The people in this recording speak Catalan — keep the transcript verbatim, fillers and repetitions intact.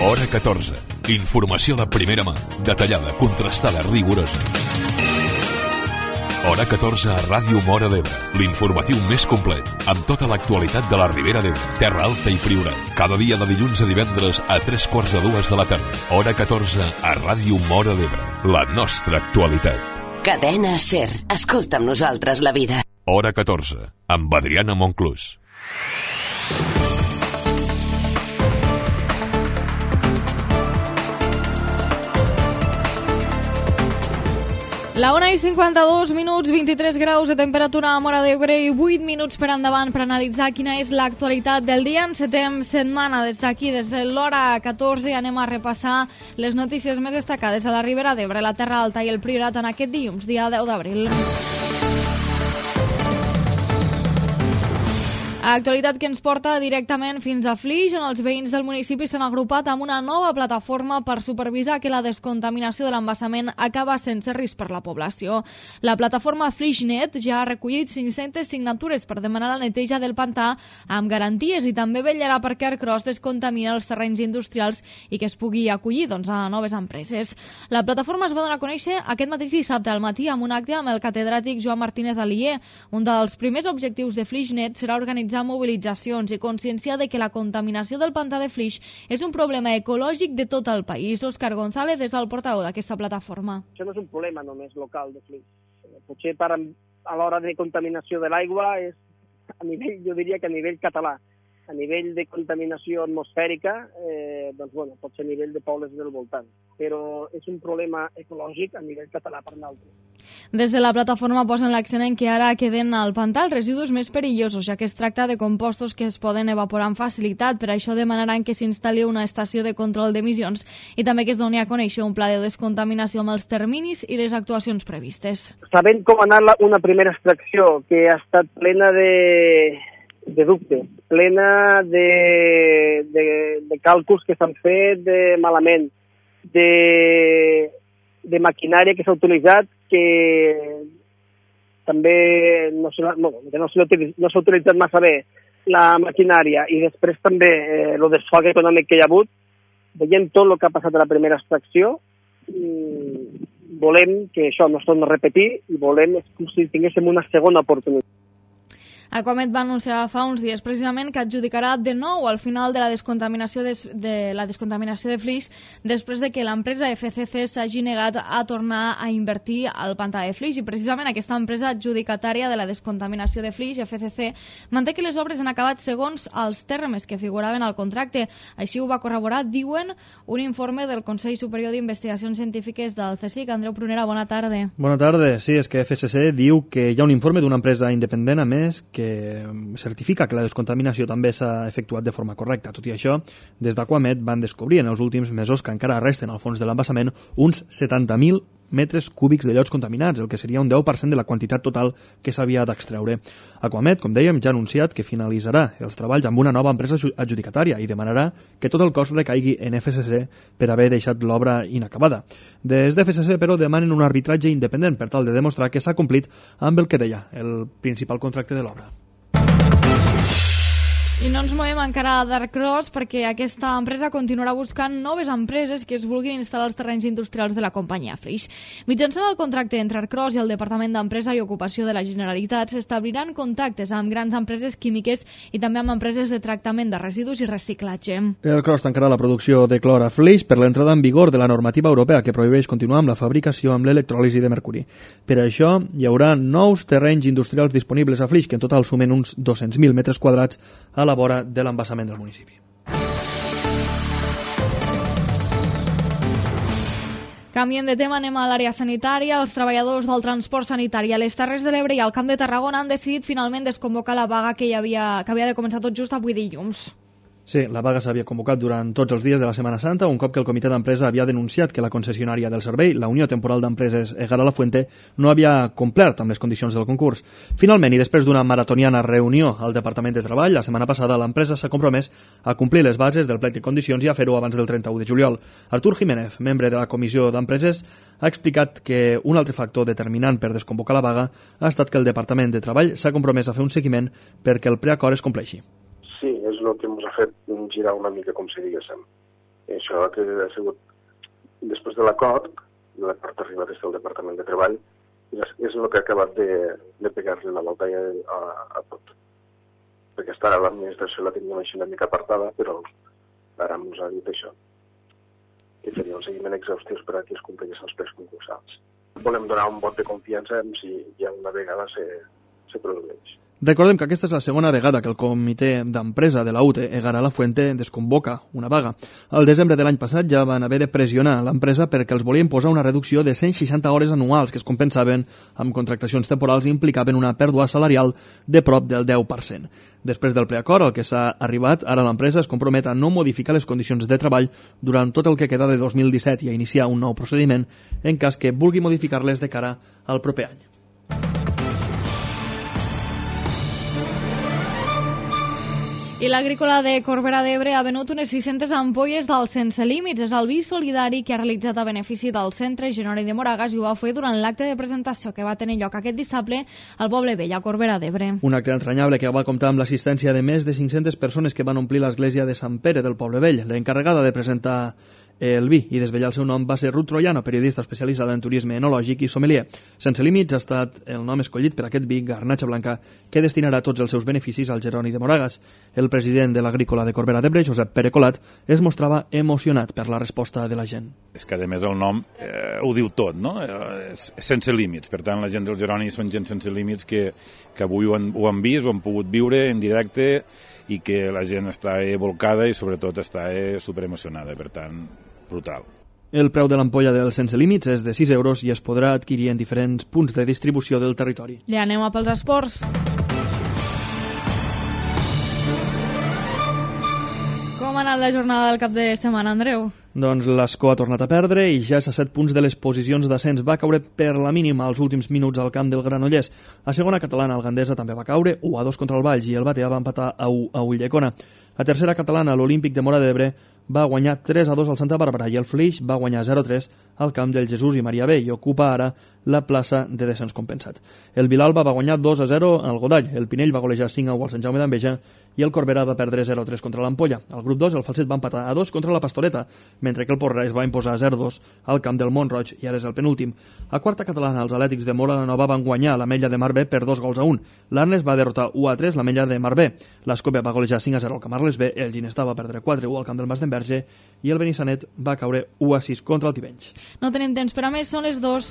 Hora catorze. Informació de primera mà, detallada, contrastada, rigorosa. Hora catorze a Ràdio Móra d'Ebre, l'informatiu més complet, amb tota l'actualitat de la Ribera d'Ebre, Terra Alta i Priorat. Cada dia de dilluns a divendres a tres quarts de dues de la tarda. Hora catorze a Ràdio Móra d'Ebre, la nostra actualitat. Cadena SER. Escolta amb nosaltres la vida. Hora catorze, amb Adriana Monclús. La una i cinquanta-dos minuts, vint-i-tres graus de temperatura a Móra d'Ebre i vuit minuts per endavant per analitzar quina és l'actualitat del dia. Encetem setmana des d'aquí, des de l'hora catorze, i anem a repassar les notícies més destacades a la Ribera d'Ebre, la Terra Alta i el Priorat en aquest dilluns, dia deu d'abril. Actualitat que ens porta directament fins a Flix, on els veïns del municipi s'han agrupat amb una nova plataforma per supervisar que la descontaminació de l'embassament acaba sense risc per la població. La plataforma FlixNet ja ha recollit cinc-centes signatures per demanar la neteja del pantà amb garanties i també vetllarà perquè Ercros descontamina els terrenys industrials i que es pugui acollir doncs, a noves empreses. La plataforma es va donar a conèixer aquest mateix dissabte al matí amb un acte amb el catedràtic Joan Martínez Alier. Un dels primers objectius de FlixNet serà organitzar mobilitzacions i conscienciar de que la contaminació del pantà de Flix és un problema ecològic de tot el país. Òscar González és el portaveu d'aquesta plataforma. Això no és un problema només local de Flix. Potser per, a l'hora de contaminació de l'aigua és a nivell, jo diria que a nivell català. A nivell de contaminació atmosfèrica, eh, doncs, bueno, pot ser a nivell de pobles del voltant. Però és un problema ecològic a nivell català per nosaltres. Des de la plataforma posen l'accent en que ara queden al pantà els residus més perillosos, ja que es tracta de compostos que es poden evaporar amb facilitat. Per això demanaran que s'instal·li una estació de control d'emissions i també que es doni a conèixer un pla de descontaminació amb els terminis i les actuacions previstes. Sabent com ha anat una primera extracció que ha estat plena de... de dubtes, plena de, de, de càlculs que s'han fet de malament, de, de maquinària que s'ha utilitzat que també no s'ha no, no no utilitzat massa bé la maquinària i després també eh, el desfalt econòmic que hi ha hagut. Veient tot el que ha passat a la primera extracció, mmm, volem que això no es torni a repetir i volem com si tinguéssim una segona oportunitat. Aquamet va anunciar fa uns dies precisament que adjudicarà de nou al final de la descontaminació de, de, la descontaminació de Flix després de que l'empresa F C C s'hagi negat a tornar a invertir al pantà de Flix, i precisament aquesta empresa adjudicatària de la descontaminació de Flix, F C C, manté que les obres han acabat segons els termes que figuraven al contracte. Així ho va corroborar, diuen, un informe del Consell Superior d'Investigacions Científiques del C S I C. Andreu Prunera, bona tarda. Bona tarda. Sí, és que F C C diu que hi ha un informe d'una empresa independent, a més, que que certifica que la descontaminació també s'ha efectuat de forma correcta. Tot i això, des d'Aquamet van descobrir en els últims mesos que encara resten al fons de l'embassament uns setanta mil metres cúbics de llots contaminats, el que seria un deu per cent de la quantitat total que s'havia d'extreure. Aquamet, com dèiem, ja ha anunciat que finalitzarà els treballs amb una nova empresa adjudicatària i demanarà que tot el cost recaigui en F C C per haver deixat l'obra inacabada. Des de F C C, però, demanen un arbitratge independent per tal de demostrar que s'ha complit amb el que deia el principal contracte de l'obra. I no ens movem encara d'Ercros perquè aquesta empresa continuarà buscant noves empreses que es vulguin instal·lar als terrenys industrials de la companyia Flix. Mitjançant el contracte entre Ercros i el Departament d'Empresa i Ocupació de la Generalitat s'establiran contactes amb grans empreses químiques i també amb empreses de tractament de residus i reciclatge. Ercros tancarà la producció de clor a Flix per l'entrada en vigor de la normativa europea que prohibeix continuar amb la fabricació amb l'electròlisi de mercuri. Per això hi haurà nous terrenys industrials disponibles a Flix, que en total sumen uns dos-cents mil metres quadrats a la vora de l'embassament del municipi. Canviem de tema, anem a l'àrea sanitària. Els treballadors del transport sanitari a les Terres de l'Ebre i al Camp de Tarragona han decidit finalment desconvocar la vaga que, hi havia, que havia de començar tot just avui dilluns. Sí, la vaga s'havia convocat durant tots els dies de la Setmana Santa, un cop que el comitè d'empresa havia denunciat que la concessionària del servei, la Unió Temporal d'Empreses Egara La Fuente, no havia complert amb les condicions del concurs. Finalment, i després d'una maratoniana reunió al Departament de Treball, la setmana passada l'empresa s'ha compromès a complir les bases del plec de condicions i a fer-ho abans del trenta-u de juliol. Artur Jiménez, membre de la Comissió d'Empreses, ha explicat que un altre factor determinant per desconvocar la vaga ha estat que el Departament de Treball s'ha compromès a fer un seguiment perquè el preacord es compleixi. Sí, és el que ens ha fet girar una mica, com si diguéssim. I això que ha sigut, després de l'acord, l'acord arribat des del Departament de Treball, és, és el que ha acabat de, de pegar-li la volta a, a tot. Perquè està ara l'administració la teníem així una mica apartada, però ara ens ha dit això, que faria un seguiment exhaustiu per a que es compleixin els plecs concursals. Volem donar un vot de confiança en si ja una vegada se, se produeix. Recordem que aquesta és la segona vegada que el comitè d'empresa de la U T E Egara La Fuente desconvoca una vaga. Al desembre de l'any passat ja van haver de pressionar l'empresa perquè els volien posar una reducció de cent seixanta hores anuals que es compensaven amb contractacions temporals i implicaven una pèrdua salarial de prop del deu per cent. Després del preacord al que s'ha arribat, ara l'empresa es compromet a no modificar les condicions de treball durant tot el que queda de dos mil disset i a iniciar un nou procediment en cas que vulgui modificar-les de cara al proper any. I l'agrícola de Corbera d'Ebre ha venut unes sis-centes ampolles del Sense Límits. És el vi solidari que ha realitzat a benefici del Centre Genori de Moragas i ho va fer durant l'acte de presentació que va tenir lloc aquest dissabte al Poble Vell, a Corbera d'Ebre. Un acte entranyable que va comptar amb l'assistència de més de cinc-centes persones que van omplir l'església de Sant Pere del Poble Vell. L'encarregada de presentar el vi i desvetllar el seu nom va ser Ruth Troiano, periodista especialitzada en turisme enològic i sommelier. Sense Límits ha estat el nom escollit per aquest vi Garnatxa Blanca que destinarà tots els seus beneficis al Jeroni de Moragas. El president de l'agrícola de Corbera d'Ebre, Josep Pere Colat, es mostrava emocionat per la resposta de la gent. És que a més el nom eh, ho diu tot, no? Eh, sense límits. Per tant, la gent del Jeroni són gent sense límits que, que avui ho han, ho han vist, ho han pogut viure en directe i que la gent està volcada i sobretot està superemocionada. Per tant, brutal. El preu de l'ampolla del Sense Límits és de sis euros i es podrà adquirir en diferents punts de distribució del territori. I anem a pels esports. Com ha anat la jornada del cap de setmana, Andreu? Doncs l'Escó ha tornat a perdre i ja és a set punts de les posicions d'ascens. Va caure per la mínima als últims minuts al camp del Granollers. A segona catalana, el Gandesa també va caure u a dos contra el Valls i el Batea va empatar a u a Ulldecona. A tercera catalana, l'Olímpic de Móra d'Ebre va guanyar tres a dos al Santa Bàrbara i el Flix va guanyar zero a tres al camp del Jesús i Maria B i ocupa ara la plaça de descens compensat. El Vilalba va guanyar dos a zero al Godall, el Pinell va golejar cinc a u al Sant Jaume d'Enveja i el Corbera va perdre zero a tres contra l'Ampolla. Al grup dos, el Falset va empatar a dos contra la Pastoreta, mentre que el Porreig va imposar zero a dos al camp del Montroig i ara és el penúltim. A quarta catalana, els Atlètics de Móra la Nova van guanyar l'Ametlla de Mar B per dos gols a un. L'Arnes va derrotar u a tres l'Ametlla de Mar B. L'Escòpia va golejar cinc a zero al Camarles B, el Ginestà va perdre quatre a u al camp del Mas d'Enverge i el Benissanet va caure u a sis contra el Tivenys. No tenim temps per a més, són les dos.